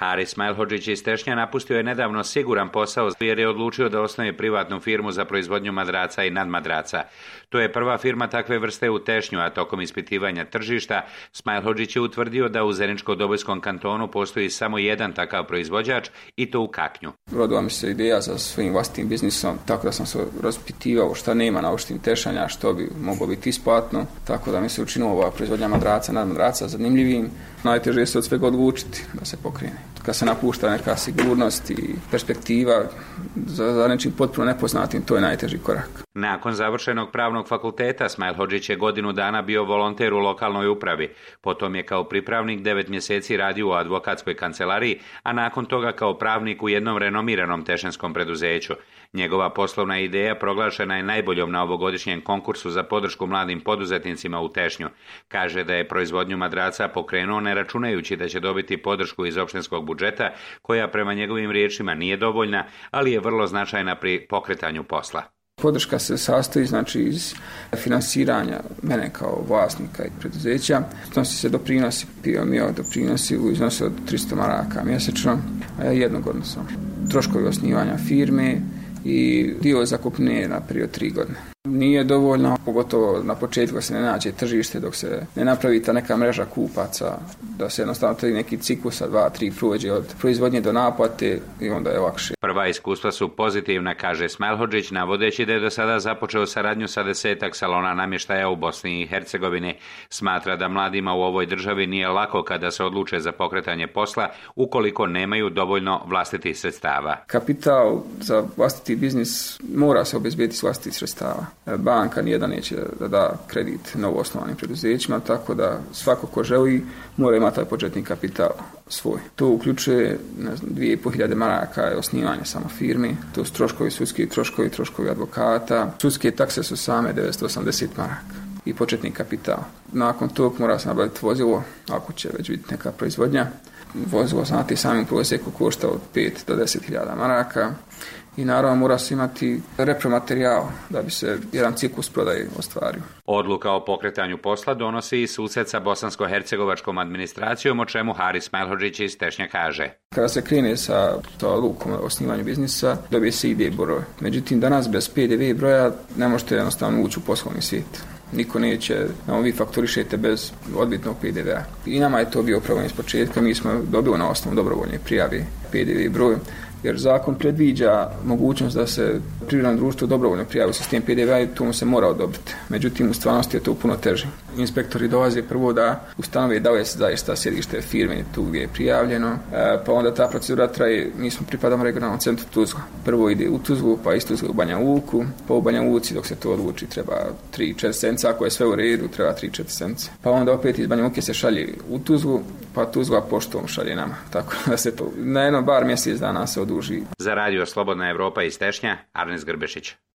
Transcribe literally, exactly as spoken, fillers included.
Haris Smajlhodžić iz Tešnja napustio je nedavno siguran posao jer je odlučio da osnuje privatnu firmu za proizvodnju madraca i nadmadraca. To je prva firma takve vrste u Tešnju, a tokom ispitivanja tržišta Smajlhodžić je utvrdio da u Zeničko-Dobojskom kantonu postoji samo jedan takav proizvođač i to u Kaknju. Rodila mi se ideja za svojim vlastitim biznisom, tako da sam se raspitivao šta nema na oštim Tešnja, što bi moglo biti isplatno, tako da mi se učinilo ova proizvodnja madraca, nadmadraca zanimljivim. Najteže se od svega odlučiti da se pokrene. Kad se napušta neka sigurnost i perspektiva za, za nečim potpuno nepoznatim, to je najteži korak. Nakon završenog pravnog fakulteta Smajlhodžić je godinu dana bio volonter u lokalnoj upravi. Potom je kao pripravnik devet mjeseci radio u advokatskoj kancelariji, a nakon toga kao pravnik u jednom renomiranom tešnjanskom preduzeću. Njegova poslovna ideja proglašena je najboljom na ovogodišnjem konkursu za podršku mladim poduzetnicima u Tešnju. Kaže da je proizvodnju madraca pokrenuo ne računajući da će dobiti podršku iz opštinskog budžeta, koja prema njegovim riječima nije dovoljna, ali je vrlo značajna pri pokretanju posla. Podrška se sastoji znači iz finansiranja mene kao vlasnika i preduzeća. Snosi se doprinosi, pio mi doprinosi u iznosu od tristo maraka mjesečno, a jednogodno sam. Troškovi osnivanja firme i dio zakupnije na period tri godine. Nije dovoljno, pogotovo na početku se ne nađe tržište, dok se ne napravi ta neka mreža kupaca, da se jednostavno taj neki ciklus sa dva, tri prođe od proizvodnje do naplate i onda je lakše. Prva iskustva su pozitivna, kaže Smajlhodžić, navodeći da je do sada započeo saradnju sa desetak salona namještaja u Bosni i Hercegovini. Smatra da mladima u ovoj državi nije lako kada se odluče za pokretanje posla, ukoliko nemaju dovoljno vlastitih sredstava. Kapital za vlastiti biznis mora se obezbediti s vlastitih sredstava. Banka nijedan neće da da kredit novoosnovanim preduzećima, tako da svako ko želi mora imati taj početni kapital svoj. To uključuje ne znam, dvije i pol hiljade maraka je osnivanje samo firme, to su troškovi sudski, troškovi, troškovi advokata. Sudske takse su same devetsto osamdeset maraka i početni kapital. Nakon tog mora se nabaviti vozilo, ako će već biti neka proizvodnja. Vozilo znate samim prosjeku košta od pet do deset hiljada maraka. I naravno mora se imati repromaterijal da bi se jedan ciklus prodaje ostvario. Odluka o pokretanju posla donosi i susret sa bosansko-hercegovačkom administracijom, o čemu Haris Smajlhodžić iz Tešnja kaže. Kada se krene sa odlukom o osnivanju biznisa, dobije se I D broj. Međutim, danas bez P D V broja ne možete jednostavno ući u poslovni svijet. Niko neće, no, vi fakturišete bez odbitnog P D V-a. I nama je to bio problem iz početka, mi smo dobili na osnovu dobrovoljne prijave P D V broj, jer zakon predviđa mogućnost da se privredno društvo dobrovoljno prijavi u sistem P D V-a i to mu se mora odobriti. Međutim, u stvarnosti je to puno teže. Inspektori dolaze prvo da ustanove da li je zaista sjedište firme tu gdje je prijavljeno, pa onda ta procedura traje, mi smo pripadamo regionalnom centru Tuzla. Prvo ide u Tuzlu, pa iz Tuzla u Banja Luku, pa u Banja Luci dok se to odluči treba tri četiri sence, ako je sve u redu treba tri četiri sence. Pa onda opet iz Banja Luke se šalje u Tuzlu, pa Tuzla poštom šalje nama. Tako da se to na jedno bar mjesec dana se oduži. Za radio Slobodna Evropa iz Tešnja, Arnes Grbešić.